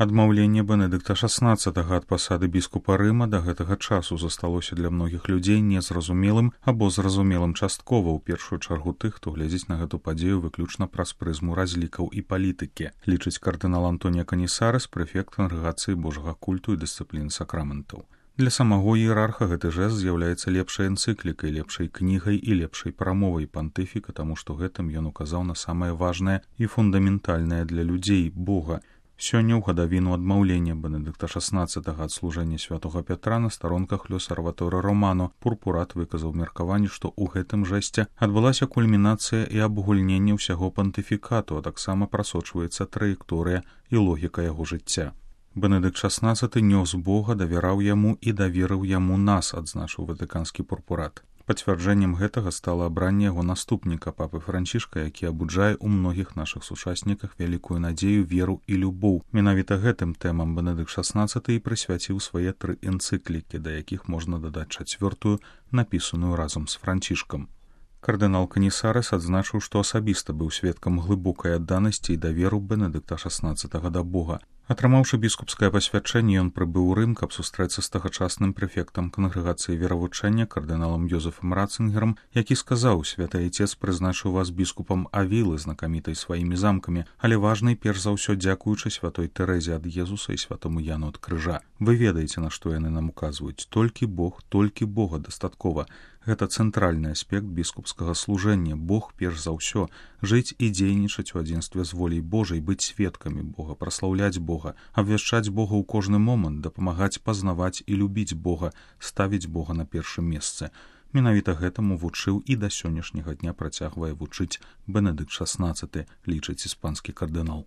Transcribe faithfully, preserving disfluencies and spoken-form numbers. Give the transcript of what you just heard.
Адмаўленне Бенедыкта шаснаццатага ад пасады біскупа Рыма да гэтага часу засталося для многіх людзей незразумелым або зразумелым часткова, у першую чаргу тых, хто глядзіць на гэту падзею выключна праз прызму разлікаў і палітыкі, лічыць кардынал Антонія Канісарес, прэфект кангрэгацыі Божага культу і дысцыпліны сакраментаў. Для самого іерарха гэты жэст з'яўляецца лепшай энцыклікай, лепшай кнігай і лепшай прамовай пантыфіка, таму што гэтым ён указаў на самае важнае і фундаментальнае для людзей Бога. Сёння ў гадавіну адмаўлення Бенедыкта шаснаццатага ад служэння святога Пятра на старонках L'Osservatore Romano Пурпурат выказаў меркаванне, што ў гэтым жэсце адбылася кульмінацыя і абгульненне ўсяго пантыфікату, а таксама прасочваецца траекторыя і логіка яго жыцця. Бенедыкт шаснаццаты нёс Бога, давяраў яму і даверыў яму нас, адзначыў ватыканскі пурпурат. Пацвярджэннем гэтага стала абранне яго наступніка папы Францішка, які абуджае ў многіх нашых сучасніках вялікую надзею, веру і любоў. Менавіта гэтым тэмам Бенедыкт шаснаццаты і прысвяціў свае тры энцыклікі, да якіх можна дадаць чацвёртую, напісаную разам з Францішкам. Кардынал Канісарес адзначыў, што асабіста быў сведкам глыбокай адданасці і даверу Бенедыкта шаснаццатага да Бога. Атрымаўшы біскупскае пасвячэнне, ён прыбыў у Рым, каб сустрэцца з тагачасным прэфектам кангрэгацыі веравучэння кардыналам Йозефам Ратцынгерам, які сказаў: «Святы Айцец прызначыў вас біскупам Авілы, знакамітай сваімі замкамі, але важнай перш за ўсё дзякуючы святой Тэрэзе ад Езуса і святому Яну ад крыжа. Вы ведаеце, на што яны нам указваюць. Толькі Бог, толькі Бога дастаткова. Гэта цэнтральны аспект біскупскага служэння. Бог перш за ўсё, жыць і дзейнічаць у адзінстве з воляй Божай, быць сведкамі Бога, праслаўляць Бога, абвяшчаць Бога ў кожны момант, дапамагаць пазнаваць і любіць Бога, ставіць Бога на першым месцы». Менавіта гэтаму вучыў і да сённяшняга дня працягвае вучыць Бенедыкт шаснаццаты, лічыць іспанскі кардынал.